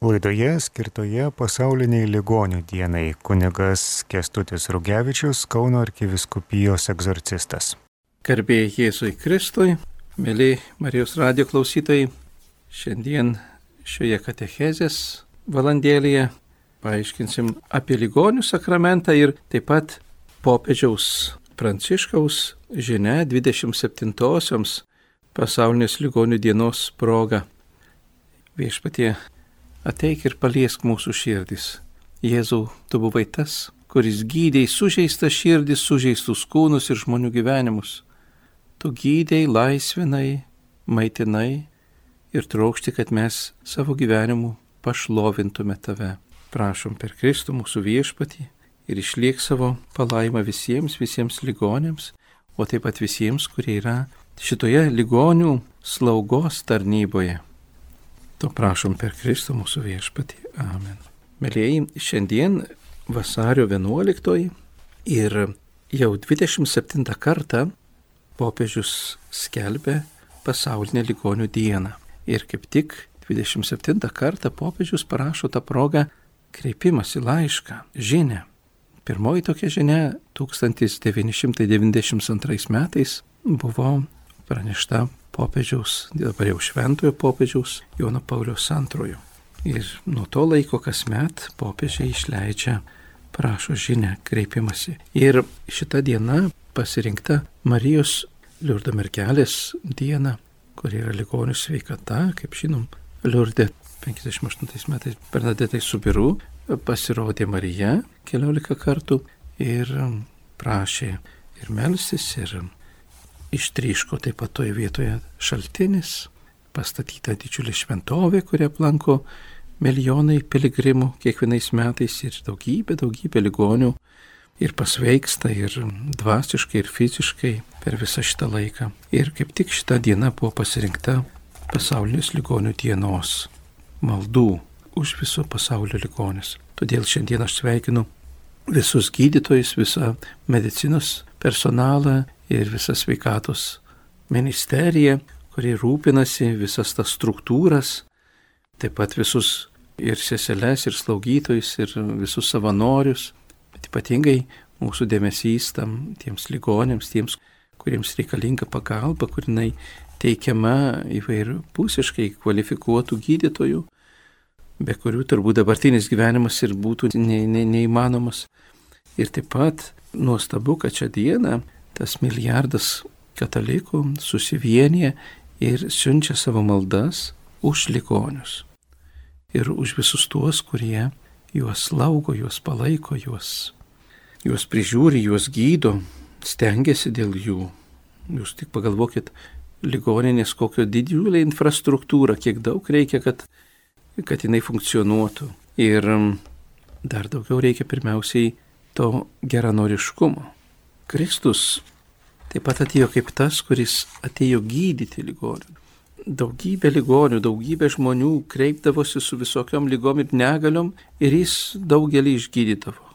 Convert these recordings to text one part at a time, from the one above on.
Laidoje skirtoje pasauliniai ligonių dienai kunigas Kęstutis Rugevičius, Kauno arkivyskupijos egzorcistas. Garbė Jėzui Kristui, mėly Marijos radijo klausytojai, šiandien šioje katechezės valandėlėje paaiškinsim apie ligonių sakramentą ir taip pat popiežiaus Pranciškaus žinia 27-osioms pasaulinės ligonių dienos proga. Viešpatie, ateik ir paliesk mūsų širdis. Jėzau, tu buvai tas, kuris gydei sužeistas širdis, sužeistus kūnus ir žmonių gyvenimus. Tu gydei, laisvinai, maitinai ir trokšti, kad mes savo gyvenimu pašlovintume tave. Prašom per Kristų mūsų viešpatį ir išliek savo palaimą visiems ligonėms, o taip pat visiems, kurie yra šitoje ligonių slaugos tarnyboje. To prašom per Kristų mūsų viešpatį. Amen. Mėlieji, šiandien vasario 11 ir jau 27 kartą popiežius skelbia pasaulinę ligonių dieną. Ir kaip tik 27 kartą popiežius parašo tą progą kreipimąsi laišką, žinią. Pirmoji tokia žinia 1992 metais buvo pranešta popiežiaus, dabar jau šventojo popiežiaus Jono Pauliaus II. Ir nuo to laiko kasmet popiežiai išleidžia, prašo žinią, kreipimąsi. Ir šita diena pasirinkta Marijos Liurdo mergelės diena, kur yra ligonių sveikata, kaip žinom, Liurde 58 metais Bernadetai Subiru pasirodė Marija 14 kartų ir prašė ir melstis, ir ištryško taip pat toje vietoje šaltinis, pastatyta didžiulė šventovė, kurią aplanko milijonai piligrimų kiekvienais metais ir daugybė ligonių ir pasveiksta ir dvasiškai, ir fiziškai per visą šitą laiką. Ir kaip tik šita diena buvo pasirinkta pasaulinės ligonių dienos maldų už viso pasaulio ligonius. Todėl šiandien aš sveikinu visus gydytojus, visą medicinos personalą ir visą sveikatos ministeriją, kuri rūpinasi visas tas struktūras, taip pat visus ir seseles, ir slaugytojus, ir visus savanorius, bet ypatingai mūsų dėmesys tiems ligonėms, tiems, kuriems reikalinga pagalba, kurinai teikiama įvairiapusiškai kvalifikuotų gydytojų, be kurių turbūt dabartinis gyvenimas ir būtų neįmanomas. Ir taip pat nuostabu, kad šią dieną tas milijardas katalikų susivienyje ir siunčia savo maldas už ligonius. Ir už visus tuos, kurie juos slaugo, juos palaiko, juos prižiūri, juos gydo, stengiasi dėl jų. Jūs tik pagalvokit, ligoninės kokio didžiulė infrastruktūra, kiek daug reikia, kad jinai funkcionuotų. Ir dar daugiau reikia pirmiausiai to geranoriškumo. Kristus taip pat atėjo kaip tas, kuris atėjo gydyti ligonių. Daugybė ligonių, daugybė žmonių kreipdavosi su visokiom ligom ir negaliom ir jis daugelį išgydydavo.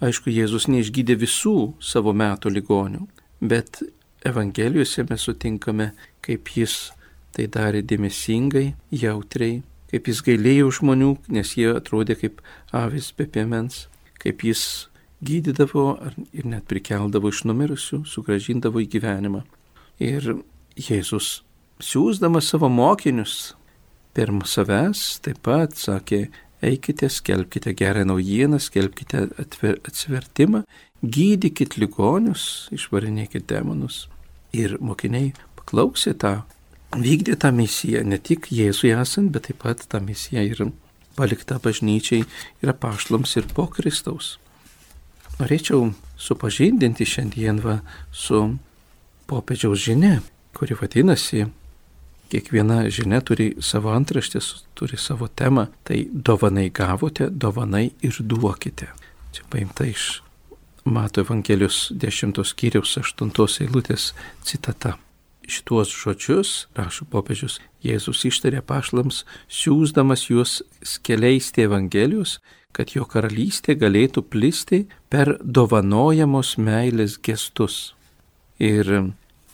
Aišku, Jėzus neišgydė visų savo metų ligonių, bet Evangelijose mes sutinkame, kaip jis tai darė dėmesingai, jautriai, kaip jis gailėjo žmonių, nes jie atrodė kaip avis be piemens, kaip jis gydydavo ir net prikeldavo iš numirusių, sugrąžindavo į gyvenimą. Ir Jėzus, siųsdamas savo mokinius pirma savęs, taip pat sakė, eikite, skelbkite gerą naujieną, skelbkite atsivertimą, gydykit ligonius, išvarinėkit demonus. Ir mokiniai paklausė vykdė tą misiją, ne tik Jėzui esant, bet taip pat tą misiją ir palikta bažnyčiai ir apaštalams ir po Kristaus. Norėčiau supažindinti šiandien su popiežiaus žinia, kuri vadinasi, kiekviena žinia turi savo antraštės, turi savo temą, tai dovanai gavote, dovanai ir duokite. Čia paimta iš Mato Evangelijos 10 skyriaus 8 eilutės citata. Šituos žodžius, rašo popiežius, Jėzus ištarė apaštalams, siųsdamas juos skleisti Evangelijos, kad jo karalystė galėtų plisti per dovanojamos meilės gestus. Ir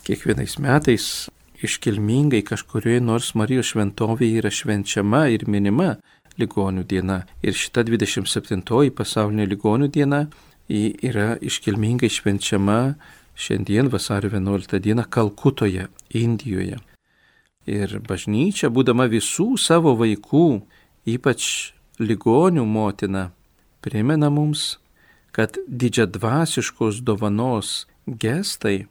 kiekvienais metais iškilmingai kažkurioje nors Marijos šventovėje yra švenčiama ir minima ligonių diena. Ir šita 27 pasaulinė ligonių diena yra iškilmingai švenčiama šiandien vasario 11 dieną Kalkutoje, Indijoje. Ir bažnyčia, būdama visų savo vaikų, ypač ligonių motina, primena mums, kad didžiadvasiškos dovanos gestai,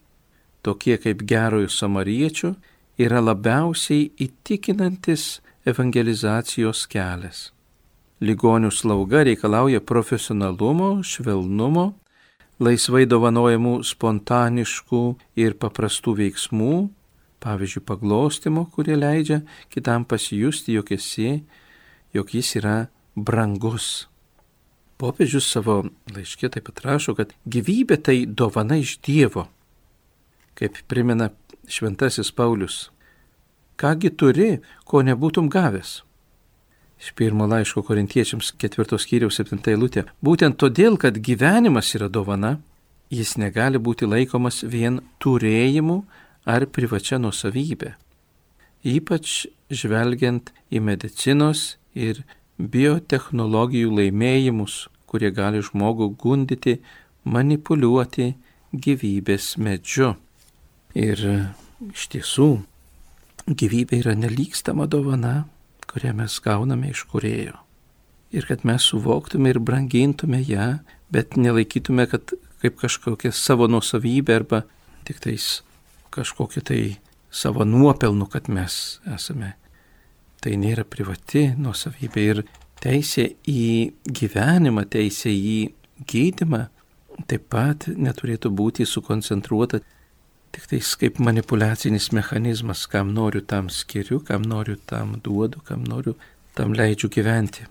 tokie kaip gerojo samariečio, yra labiausiai įtikinantis evangelizacijos kelias. Ligonių slauga reikalauja profesionalumo, švelnumo, laisvai dovanojamų spontaniškų ir paprastų veiksmų, pavyzdžiui, paglostimo, kurie leidžia kitam pasijusti, jog jis yra brangus. Popiežius savo laiške taip pat rašo, kad gyvybė tai dovana iš Dievo, kaip primena šventasis Paulius. Kągi turi, ko nebūtum gavęs? Iš 1 laiško Korintiečiams 4 skyriaus 7 eilutė. Būtent todėl, kad gyvenimas yra dovana, jis negali būti laikomas vien turėjimu ar privačia nuosavybė. Ypač žvelgiant į medicinos ir biotechnologijų laimėjimus, kurie gali žmogų gundyti, manipuliuoti gyvybės medžiu. Ir iš tiesų, gyvybė yra nelygstama dovana, kurią mes gauname iš Kūrėjo. Ir kad mes suvoktume ir brangintume ją, bet nelaikytume, kad kaip kažkokia savo nuosavybė arba tik tais kažkokia tai savo nuopelnu, kad mes esame. Tai nėra privati nuosavybė ir teisė į gyvenimą, teisė į gydymą taip pat neturėtų būti sukoncentruota tik tais kaip manipuliacinis mechanizmas, kam noriu tam skiriu, kam noriu tam duodu, kam noriu tam leidžiu gyventi.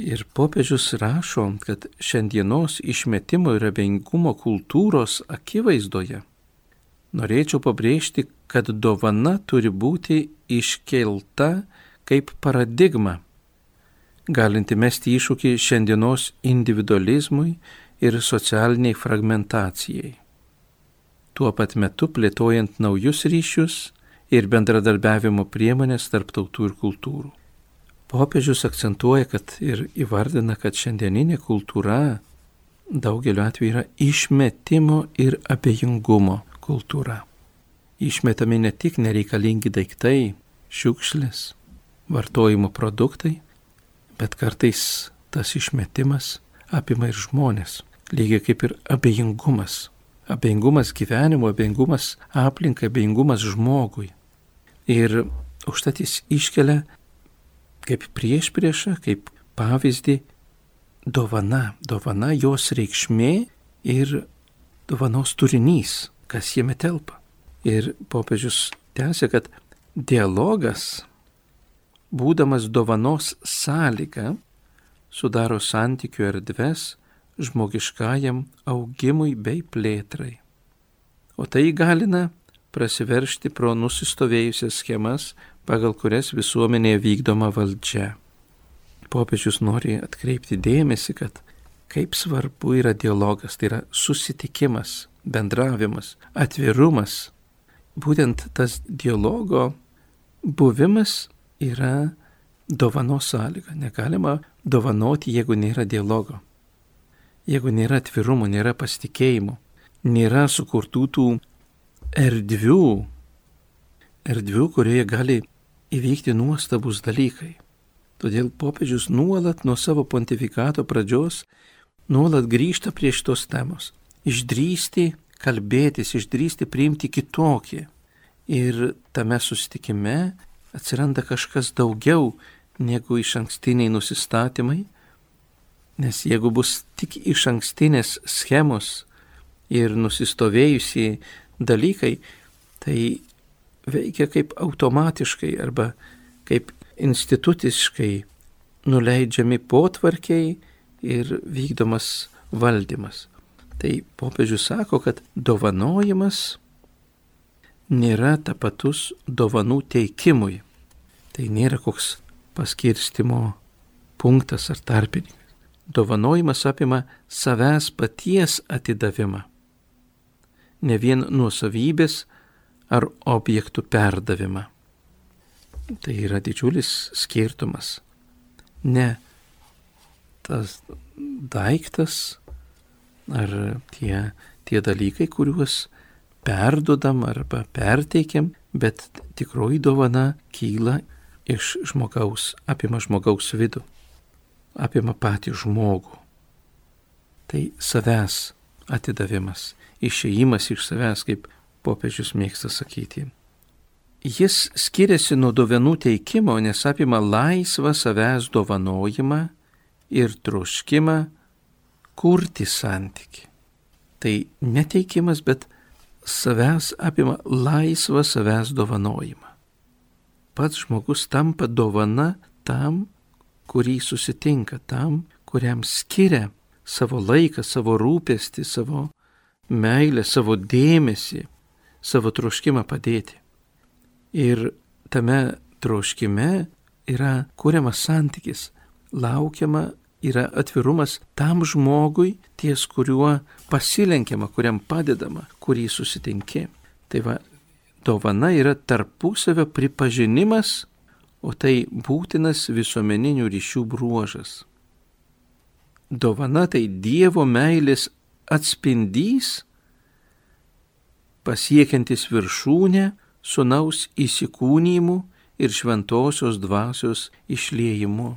Ir popiežius rašo, kad šiandienos išmetimo ir abejingumo kultūros akivaizdoje norėčiau pabrėžti, kad dovana turi būti iškelta kaip paradigma, galinti mesti iššūkį šiandienos individualizmui ir socialiniai fragmentacijai. Tuo pat metu plėtojant naujus ryšius ir bendradarbiavimo priemonės tarp tautų ir kultūrų. Popiežius akcentuoja, kad ir įvardina, kad šiandieninė kultūra daugeliu atveju yra išmetimo ir abejingumo kultūra. Išmetami ne tik nereikalingi daiktai, šiukšlės, vartojimo produktai, bet kartais tas išmetimas apima ir žmonės, lygiai kaip ir abejingumas. Abejingumas gyvenimo, abejingumas aplinkai, abejingumas žmogui. Ir užtat jis iškelia kaip priešpriešą, kaip pavyzdį dovana, jos reikšmė ir dovanos turinys, kas jame telpa. Ir popiežius tęsia, kad dialogas, būdamas dovanos sąlyga, sudaro santykių erdves žmogiškajam augimui bei plėtrai. O tai įgalina prasiveržti pro nusistovėjusias schemas, pagal kurias visuomenėje vykdoma valdžia. Popiežius nori atkreipti dėmesį, kad kaip svarbu yra dialogas, tai yra susitikimas, bendravimas, atvirumas. Būtent tas dialogo buvimas yra dovanos sąlyga. Negalima dovanoti, jeigu nėra dialogo. Jeigu nėra atvirumo, nėra pasitikėjimo, nėra sukurtų tų erdvių, kurioje gali įvykti nuostabus dalykai. Todėl popiežius nuolat nuo savo pontifikato pradžios nuolat grįžta prie šitos temos. Išdrįsti kalbėtis, išdrįsti priimti kitokį. Ir tame susitikime atsiranda kažkas daugiau negu išankstiniai nusistatymai, nes jeigu bus tik išankstinės schemos ir nusistovėjusiai dalykai, tai veikia kaip automatiškai arba kaip instituciškai nuleidžiami potvarkiai ir vykdomas valdymas. Tai popiežius sako, kad dovanojimas nėra tapatus dovanų teikimui. Tai nėra koks paskirstimo punktas ar tarpininkas. Dovanojimas apima savęs paties atidavimą, ne vien nuosavybės ar objektų perdavimą. Tai yra didžiulis skirtumas. ne tas daiktas ar tie dalykai, kuriuos perdodam arba perteikiam, bet tikroji dovana kyla iš žmogaus, apima žmogaus vidų, apima patį žmogų. Tai savęs atidavimas, išėjimas iš savęs, kaip popiežius mėgsta sakyti. Jis skiriasi nuo dovanų teikimo, nes apima laisvą savęs dovanojimą ir troškimą kurti santykį. Tai neteikimas, bet savęs apima laisvą savęs dovanojimą. Pats žmogus tampa dovana tam, kurį susitinka, tam, kuriam skiria savo laiką, savo rūpestį, savo meilę, savo dėmesį, savo troškimą padėti. Ir tame troškime yra kuriamas santykis, laukiama yra atvirumas tam žmogui, ties kuriuo pasilenkiama, kuriam padedama, kurį susitinki. Tai va, dovana yra tarpusavio pripažinimas, o tai būtinas visuomeninių ryšių bruožas. Dovana tai Dievo meilės atspindys, pasiekiantis viršūnę Sūnaus įsikūnijimu ir šventosios dvasios išliejimu.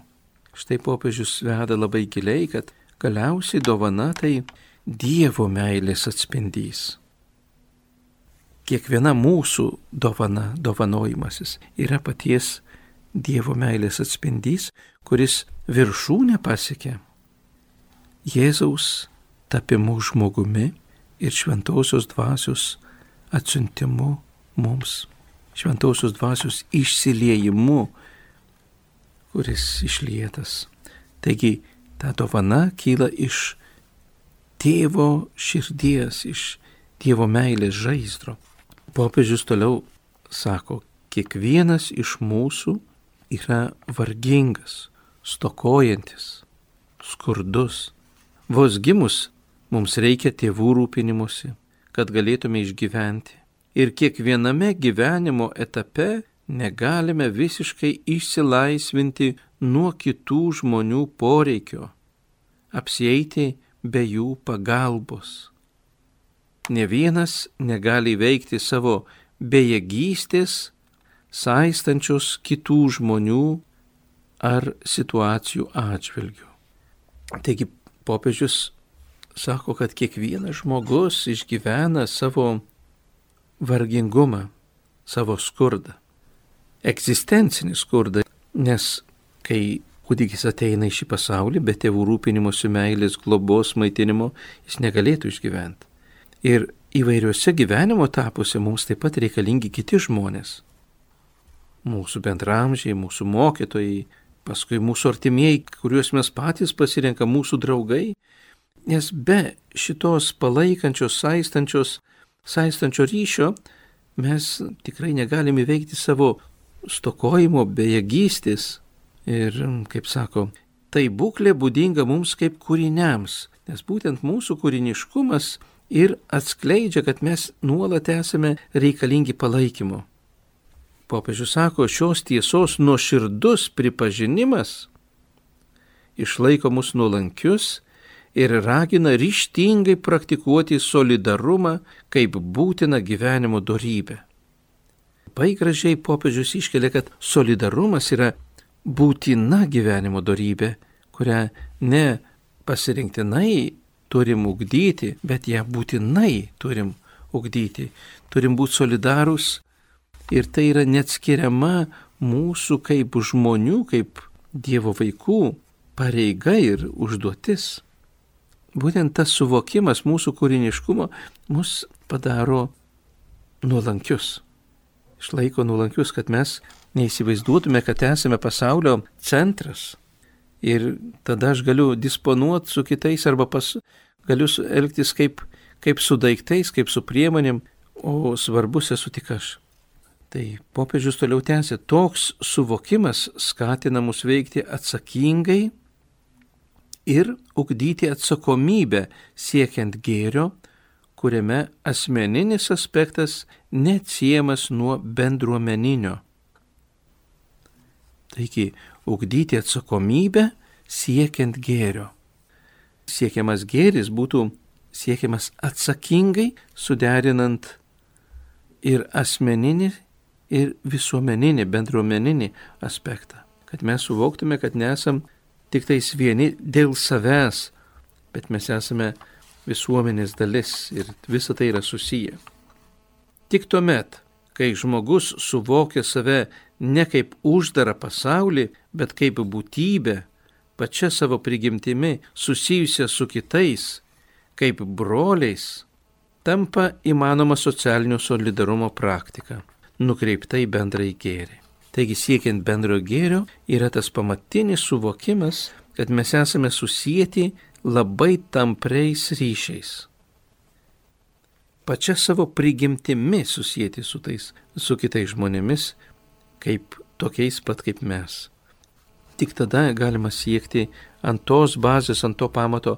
Štai popiežius veda labai giliai, kad galiausiai dovana tai Dievo meilės atspindys. Kiekviena mūsų dovana, dovanojimasis yra paties Dievo meilės atspindys, kuris viršūnę pasiekia Jėzaus tapimu žmogumi ir šventosios dvasios atsiuntimu mums, šventosios dvasios išsiliejimu, kuris išlietas. Taigi, ta dovana kyla iš Tėvo širdies, iš Dievo meilės žaizdro. Popiežius toliau sako, kiekvienas iš mūsų yra vargingas, stokojantis, skurdus. Vos gimus mums reikia tėvų rūpinimusi, kad galėtume išgyventi. Ir kiekviename gyvenimo etape negalime visiškai išsilaisvinti nuo kitų žmonių poreikio, apsieiti be jų pagalbos. Ne vienas negali įveikti savo bejėgystės, saistančios kitų žmonių ar situacijų atžvilgių. Taigi popiežius sako, kad kiekvienas žmogus išgyvena savo vargingumą, savo skurdą, egzistencinį skurdą, nes kai kūdikis ateina į šį pasaulį, be tėvų rūpinimosi, meilės, globos, maitinimo, jis negalėtų išgyventi. Ir įvairiuose gyvenimo etapuose mums taip pat reikalingi kiti žmonės. Mūsų bendramžiai, mūsų mokytojai, paskui mūsų artimieji, kuriuos mes patys pasirenkam, mūsų draugai. Nes be šitos palaikančios, saistančio ryšio mes tikrai negalime įveikti savo stokojimo, bejėgystės. Ir, kaip sako, tai būklė būdinga mums kaip kūriniams, nes būtent mūsų kūriniškumas ir atskleidžia, kad mes nuolat esame reikalingi palaikymo. Popiežius sako, šios tiesos nuoširdus pripažinimas išlaiko mus nuolankius ir ragina ryžtingai praktikuoti solidarumą kaip būtiną gyvenimo dorybę. Labai gražiai popiežius iškelia, kad solidarumas yra būtina gyvenimo dorybė, kurią ne pasirinktinai turim ugdyti, bet ją būtinai turim ugdyti. Turim būti solidarūs ir tai yra neatskiriama mūsų kaip žmonių, kaip Dievo vaikų pareiga ir užduotis. Būtent tas suvokimas mūsų kūriniškumo mus padaro nuolankius. Išlaiko nuolankius, kad mes neįsivaizduotume, kad esame pasaulio centras. Ir tada aš galiu disponuoti su kitais arba galiu elgtis kaip su daiktais, kaip su priemonėm, o svarbus esu tik aš. Tai popiežius toliau tęsia, toks suvokimas skatina mus veikti atsakingai ir ugdyti atsakomybę siekiant gėrio, kuriame asmeninis aspektas neatsiejamas nuo bendruomeninio. Taigi, ugdyti atsakomybę siekiant gėrio. Siekiamas gėris būtų siekiamas atsakingai, suderinant ir asmeninį, ir visuomeninį, bendruomeninį aspektą. Kad mes suvoktume, kad nesam tik tais vieni dėl savęs, bet mes esame visuomenės dalis ir visa tai yra susiję. Tik tuomet, kai žmogus suvokia save ne kaip uždarą pasaulį, bet kaip būtybę, pačia savo prigimtimi susijusią su kitais, kaip broliais, tampa įmanoma socialinio solidarumo praktika, nukreipta į bendrąjį gėrį. Taigi siekiant bendrojo gėrio yra tas pamatinis suvokimas, kad mes esame susijęti labai tampriais ryšiais. Pačia savo prigimtimi susijęti su kitais žmonėmis, kaip tokiais pat kaip mes. Tik tada galima siekti ant tos bazės, ant to pamato,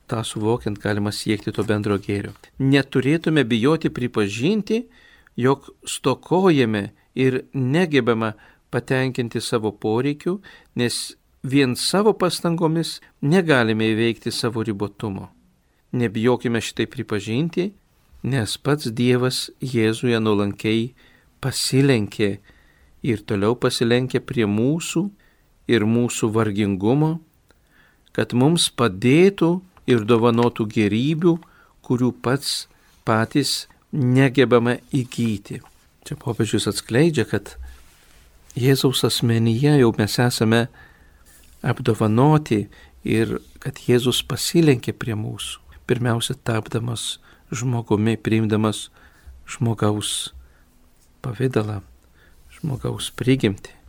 tą suvokiant galima siekti to bendro gėrio. Neturėtume bijoti pripažinti, jog stokojame ir negebame patenkinti savo poreikių, nes vien savo pastangomis negalime įveikti savo ribotumo. Nebijokime šitai pripažinti, nes pats Dievas Jėzuje nuolankiai pasilenkė ir toliau pasilenkė prie mūsų ir mūsų vargingumo, kad mums padėtų ir dovanotų gėrybių, kurių patys negebame įgyti. Čia popiežius atskleidžia, kad Jėzaus asmenyje jau mes esame apdovanoti ir kad Jėzus pasilenkė prie mūsų, pirmiausia tapdamas žmogumi, priimdamas žmogaus pavidalą, žmogaus prigimtį.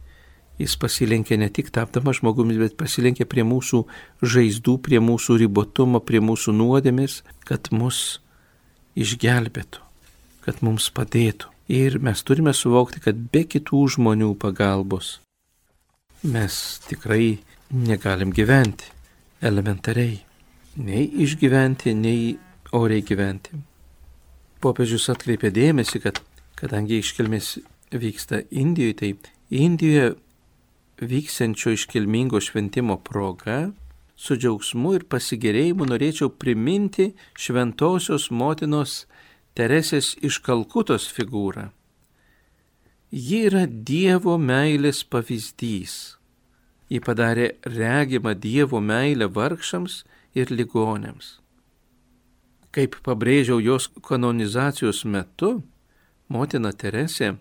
Jis pasilenkė ne tik tapdamas žmogumi, bet pasilenkė prie mūsų žaizdų, prie mūsų ribotumo, prie mūsų nuodėmės, kad mus išgelbėtų, kad mums padėtų. Ir mes turime suvokti, kad be kitų žmonių pagalbos mes tikrai negalim gyventi elementariai. Nei išgyventi, nei oriai gyventi. Popiežius atkreipė dėmesį, kad kadangi iškilmės vyksta Indijoje, tai Indijoje vyksiančio iškilmingo šventimo proga su džiaugsmu ir pasigėrėjimu norėčiau priminti šventosios motinos Teresės iš Kalkutos figūrą. Ji yra Dievo meilės pavyzdys. Ji padarė regimą Dievo meilę vargšams ir ligoniams. Kaip pabrėžiau jos kanonizacijos metu, motina Teresė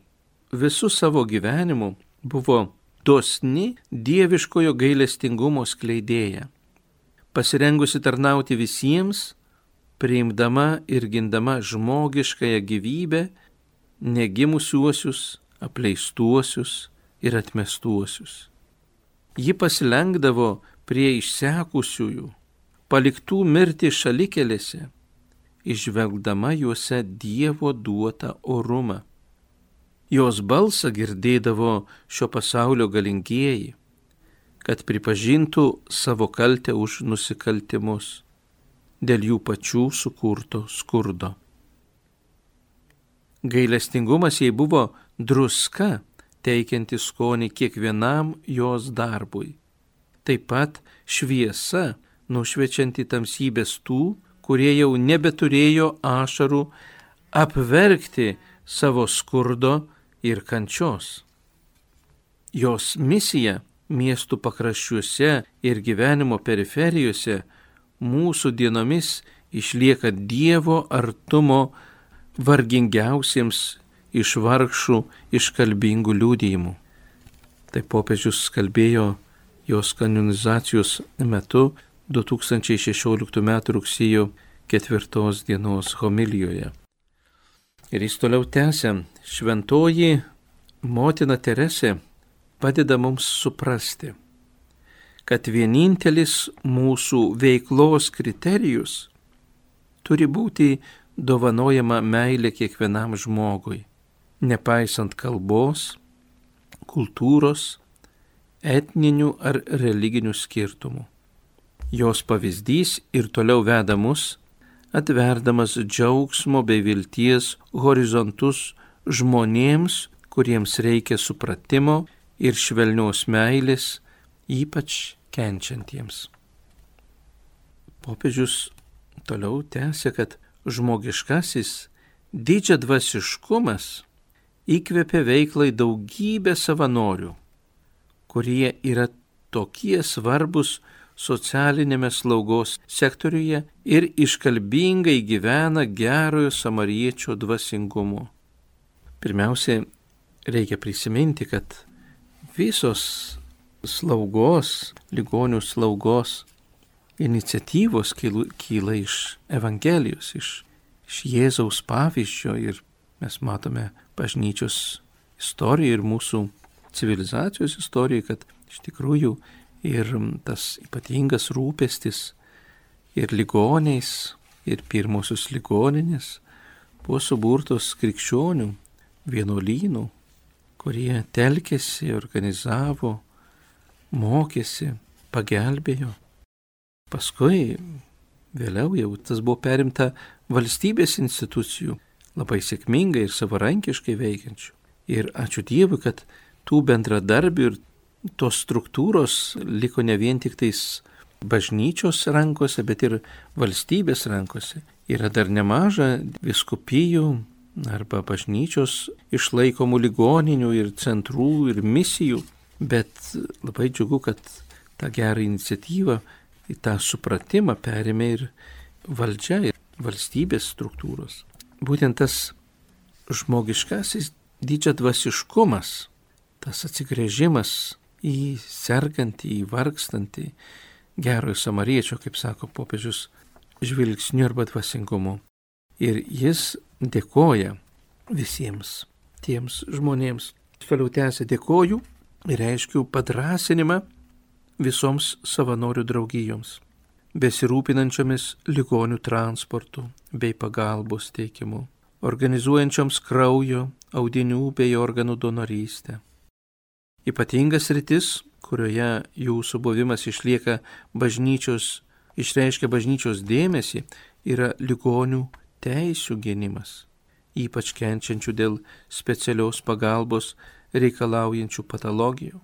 visų savo gyvenimu buvo dosni dieviškojo gailestingumo skleidėja, pasirengusi tarnauti visiems, priimdama ir gindama žmogiškąją gyvybę, negimusiuosius, apleistuosius ir atmestuosius. Ji pasilenkdavo prie išsekusiųjų, paliktų mirti šalikelėse, išvelgdama juose Dievo duotą orumą. Jos balsą girdėdavo šio pasaulio galingieji, kad pripažintų savo kaltę už nusikaltimus dėl jų pačių sukurto skurdo. Gailestingumas jai buvo druska, teikianti skonį kiekvienam jos darbui. Taip pat šviesa, nušviečianti tamsybės tų, kurie jau nebeturėjo ašarų apverkti savo skurdo ir kančios. Jos misija miestų pakraščiuose ir gyvenimo periferijose mūsų dienomis išlieka Dievo artumo vargingiausiems iš vargšų iškalbingų liudijimų. Tai popiežius kalbėjo jos kanonizacijos metu 2016 m. rugsėjo 4 dienos homilijoje. Ir jis toliau tęsia, šventoji motina Teresė padeda mums suprasti, kad vienintelis mūsų veiklos kriterijus turi būti dovanojama meilė kiekvienam žmogui, nepaisant kalbos, kultūros, etninių ar religinių skirtumų. Jos pavyzdys ir toliau veda mus, atverdamas džiaugsmo bei vilties horizontus žmonėms, kuriems reikia supratimo ir švelnios meilės, ypač kenčiantiems. Popiežius toliau tęsia, kad žmogiškasis didžiadvasiškumas įkvėpė veiklai daugybę savanorių, kurie yra tokie svarbus socialinėme slaugos sektoriuje ir iškalbingai gyvena gerojo samariečio dvasingumu. Pirmiausia, reikia prisiminti, kad visos slaugos, ligonių slaugos iniciatyvos kyla iš Evangelijos, iš Jėzaus pavyzdžio, ir mes matome bažnyčios istoriją ir mūsų civilizacijos istoriją, kad iš tikrųjų ir tas ypatingas rūpestis ir ligoniais, ir pirmosios ligoninės buvo suburtos krikščionių, vienuolynų, kurie telkėsi, organizavo, mokėsi, pagelbėjo. Paskui, vėliau jau tas buvo perimta valstybės institucijų, labai sėkmingai ir savarankiškai veikiančių. Ir ačiū Dievui, kad tų bendradarbių ir tos struktūros liko ne vien tik tais bažnyčios rankose, bet ir valstybės rankose. Yra dar nemaža vyskupijų arba bažnyčios išlaikomų ligoninių ir centrų ir misijų, bet labai džiugu, kad tą gerą iniciatyvą, tą supratimą perėmė ir valdžia, ir valstybės struktūros. Būtent tas žmogiškasis didžiadvasiškumas, tas atsigręžimas į sergantį, į vargstantį, gerojo samariečio, kaip sako popiežius, žvilgsniu arba dvasingumu. Ir jis dėkoja visiems tiems žmonėms. Toliau tęsia: dėkoju ir reiškiu padrąsinimą visoms savanorių draugijoms, besirūpinančiomis ligonių transportu bei pagalbos teikimu, organizuojančioms kraujo, audinių bei organų donorystę. Ypatingas sritis, kurioje jūsų buvimas išreiškia bažnyčios dėmesį, yra ligonių teisių gynimas, ypač kenčiančių dėl specialios pagalbos reikalaujančių patologijų.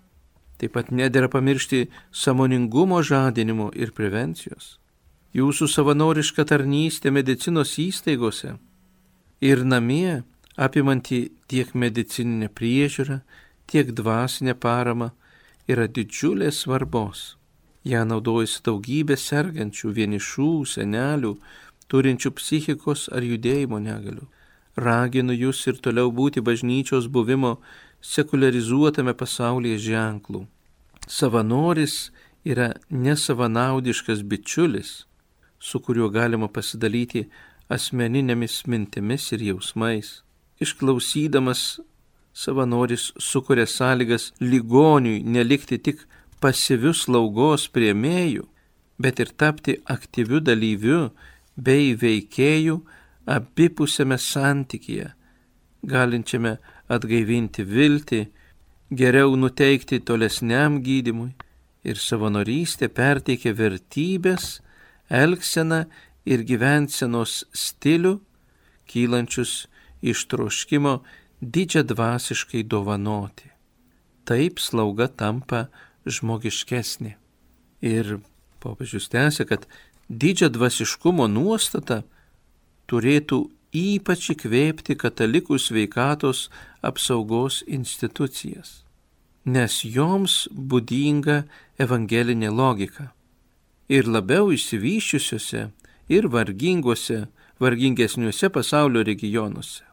Taip pat nedera pamiršti sąmoningumo žadinimo ir prevencijos. Jūsų savanoriška tarnystė medicinos įstaigose ir namie, apimanti tiek medicininę priežiūrą, tiek dvasinę paramą, yra didžiulės svarbos. Ja naudojasi daugybė sergančių, vienišų, senelių, turinčių psichikos ar judėjimo negalių. Raginu jūs ir toliau būti bažnyčios buvimo sekularizuotame pasaulyje ženklų. Savanoris yra nesavanaudiškas bičiulis, su kuriuo galima pasidalyti asmeninėmis mintimis ir jausmais. Išklausydamas, savanoris sukuria sąlygas ligoniui nelikti tik pasyviu slaugos priėmėju, bet ir tapti aktyviu dalyviu bei veikėju abipusiame santykyje, galinčiame atgaivinti viltį, geriau nuteikti tolesniam gydymui, ir savanorystė perteikia vertybės, elgseną ir gyvensenos stilių, kylančius iš troškimo didžiadvasiškai dovanoti. Taip slauga tampa žmogiškesnė. Ir popiežius tęsia, kad didžiadvasiškumo nuostata turėtų ypač įkvėpti katalikų sveikatos apsaugos institucijas, nes joms būdinga evangelinė logika. Ir labiau išsivysčiusiuose ir vargingesniuose pasaulio regionuose,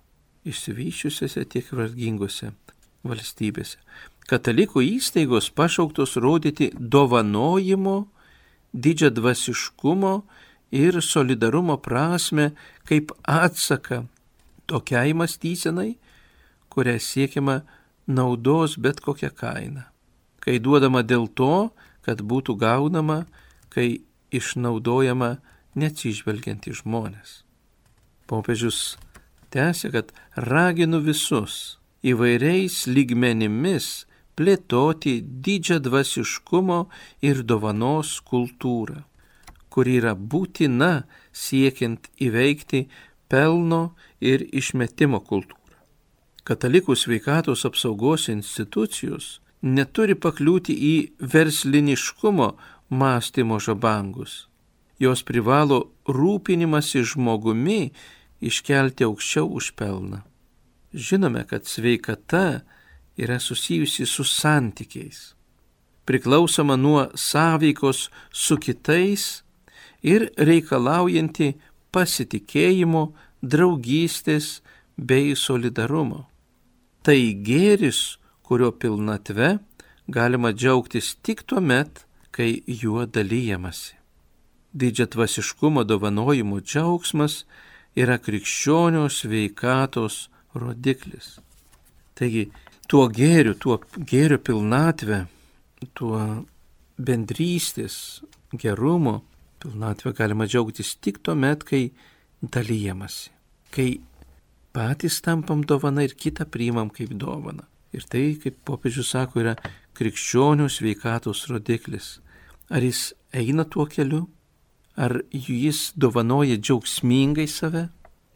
išsivysčiusiuose tiek vargingose valstybėse, katalikų įstaigos pašauktos rodyti dovanojimo, didžiadvasiškumo ir solidarumo prasme kaip atsaką tokiai mąstysenai, kuria siekiama naudos bet kokią kainą, kai duodama dėl to, kad būtų gaunama, kai išnaudojama neatsižvelgiant į žmonės. Popiežius tęsia, kad raginu visus įvairiais lygmenimis plėtoti didžiadvasiškumo ir dovanos kultūrą, kuri yra būtina siekiant įveikti pelno ir išmetimo kultūrą. Katalikų sveikatos apsaugos institucijos neturi pakliūti į versliniškumo mąstymo žabangus. Jos privalo rūpinimąsi žmogumi iškelti aukščiau už pelną. Žinome, kad sveikata yra susijusi su santykiais, priklausoma nuo sąveikos su kitais ir reikalaujanti pasitikėjimo, draugystės bei solidarumo. Tai gėris, kurio pilnatve galima džiaugtis tik tuomet, kai juo dalyjamasi. Didžiadvasiškumo dovanojimo džiaugsmas yra krikščionio sveikatos rodiklis. Taigi, tuo gėrio pilnatvę, tuo bendrystės gerumo pilnatvę galima džiaugtis tik tuomet, kai dalyjamasi, kai patys tampam dovana ir kitą priimam kaip dovana. Ir tai, kaip popiežius sako, yra krikščionių sveikatos rodiklis. Ar jis eina tuo keliu, ar jis dovanoja džiaugsmingai save,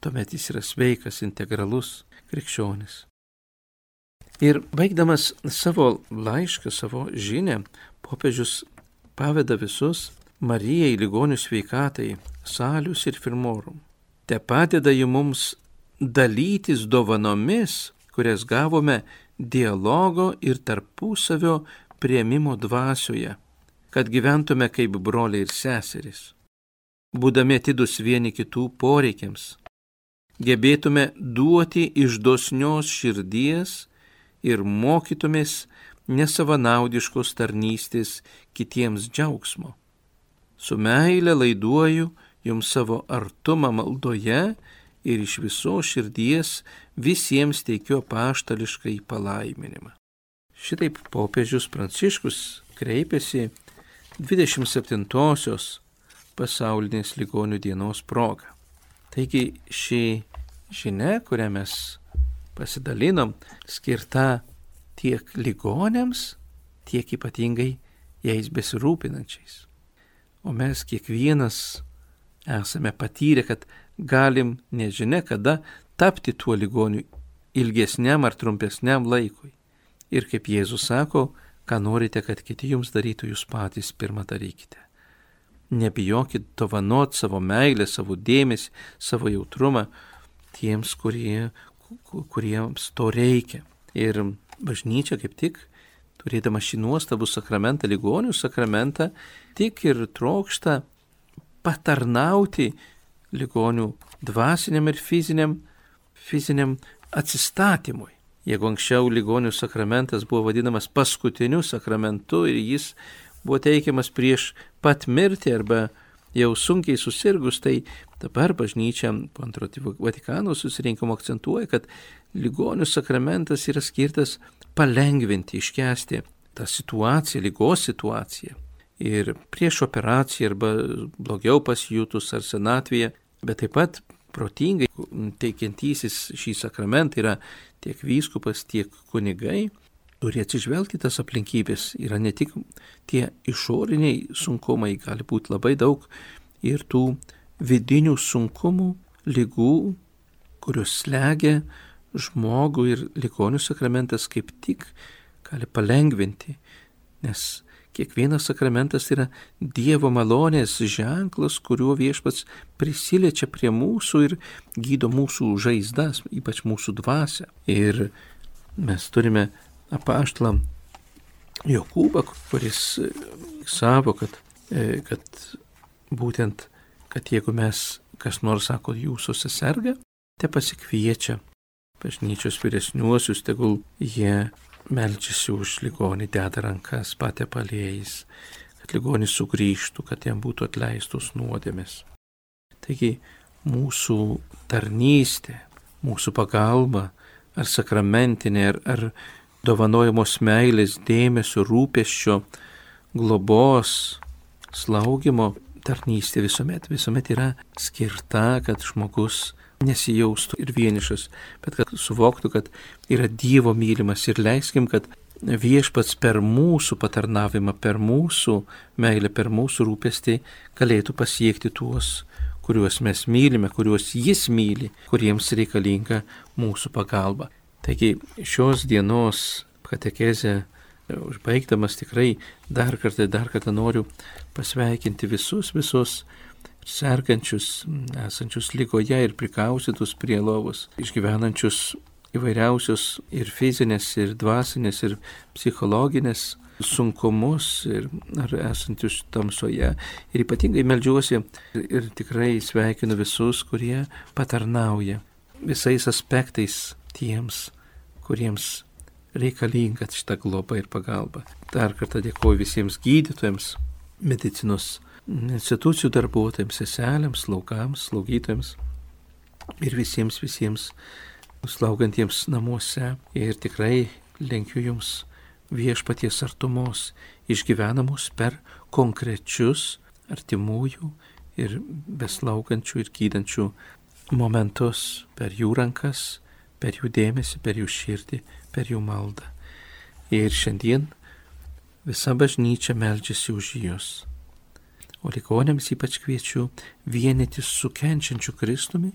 tuomet jis yra sveikas, integralus krikščionis. Ir baigdamas savo laišką, savo žinią, popiežius paveda visus Marijai ligonių sveikatai, Salius ir Firmorum. Te padeda jį mums dalytis dovanomis, kurias gavome dialogo ir tarpusavio priėmimo dvasioje, kad gyventume kaip broliai ir seserys, būdami atidus vieni kitų poreikiams, gebėtume duoti iš dosnios širdies ir mokytumės nesavanaudiškos tarnystės kitiems džiaugsmo. Su meile laiduoju jums savo artumą maldoje ir iš visos širdies visiems teikiu apaštališkai palaiminimą. Šitaip popiežius Pranciškus kreipėsi 27-osios pasaulinės ligonių dienos proga. Taigi ši žinia, kurią mes pasidalinom, skirta tiek ligonėms, tiek ypatingai jais besirūpinančiais. O mes kiekvienas esame patyrę, kad galim nežinia kada tapti tuo ligoniu ilgesniam ar trumpesniam laikui. Ir kaip Jėzus sako, ką norite, kad kiti jums darytų, jūs patys pirmą darykite. Nebijokit dovanot savo meilę, savo dėmesį, savo jautrumą tiems, kuriems to reikia. Ir bažnyčia kaip tik, turėdama šį nuostabų sakramentą, ligonių sakramentą, tik ir trokšta patarnauti ligonių dvasiniam ir fiziniam atsistatymui. Jeigu anksčiau ligonių sakramentas buvo vadinamas paskutiniu sakramentu ir jis buvo teikiamas prieš pat mirtį arba jau sunkiai susirgus, tai dabar bažnyčia po Antrojo Vatikano susirinkimo akcentuoja, kad ligonių sakramentas yra skirtas palengvinti, iškęsti tą situaciją, ligos situaciją. Ir prieš operaciją arba blogiau pasijutus ar senatvėje, bet taip pat protingai teikiantysis šį sakramentą yra tiek vyskupas, tiek kunigai, turi atsižvelgti tas aplinkybės. Yra ne tik tie išoriniai sunkumai, gali būti labai daug ir tų vidinių sunkumų, ligų, kurios slegia žmogų, ir ligonių sakramentas kaip tik gali palengvinti, nes kiekvienas sakramentas yra Dievo malonės ženklas, kuriuo Viešpats prisiliečia prie mūsų ir gydo mūsų žaizdas, ypač mūsų dvasią. Ir mes turime apaštalą Jokūbą, kuris savo, kad būtent, kad jeigu mes, kas nors sako, jūsuose serga, te pasikviečia bažnyčios vyresniuosius, tegul jie meldžiasi už ligonį, deda rankas, patepa aliejais, kad ligonis sugrįžtų, kad jam būtų atleistos nuodėmės. Taigi mūsų tarnystė, mūsų pagalba, ar sakramentinė, ar dovanojamos meilės, dėmesio, rūpesčio, globos, slaugimo tarnystė visuomet yra skirta, kad žmogus nesijaustų ir vienišas, bet kad suvoktų, kad yra Dievo mylimas, ir leiskim, kad Viešpats per mūsų patarnavimą, per mūsų meilę, per mūsų rūpestį galėtų pasiekti tuos, kuriuos mes mylime, kuriuos Jis myli, kuriems reikalinga mūsų pagalba. Taigi šios dienos katekezę Užbaigdamas tikrai dar kartą noriu pasveikinti visus sergančius, esančius ligoje ir prikaustytus prie lovos, išgyvenančius įvairiausius ir fizinės, ir dvasinės, ir psichologinės sunkumus, ar esančius tamsoje. Ir ypatingai meldžiuosi ir tikrai sveikinu visus, kurie patarnauja visais aspektais tiems, kuriems reikalinga šitą globą ir pagalbą. Dar kartą dėkoju visiems gydytojams, medicinos institucijų darbuotojams, seselėms, slaugams, slaugytojams ir visiems slaugantiems namuose. Ir tikrai linkiu jums viešpaties artumos, išgyvenamos per konkrečius artimųjų ir beslaugančių ir gydančių momentus, per jų rankas, per jų dėmesį, per jų širdį, per jų maldą. Ir šiandien visa bažnyčia meldžiasi už jūs. O ligoniams ypač kviečiu vienytis su kenčiančiu Kristumi,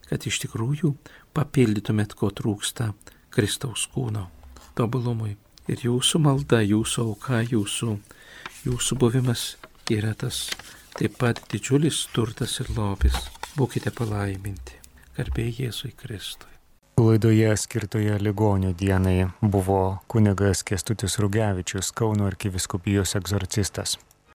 kad iš tikrųjų papildytumėt, ko trūksta Kristaus kūno tobulumui. Ir jūsų malda, jūsų auka, jūsų buvimas yra tas taip pat didžiulis turtas ir lobis. Būkite palaiminti. Garbė Jėzui Kristui. Laidoje skirtoje ligonių dienai buvo kunigas Kęstutis Rugevičius, Kauno arkivyskupijos egzorcistas.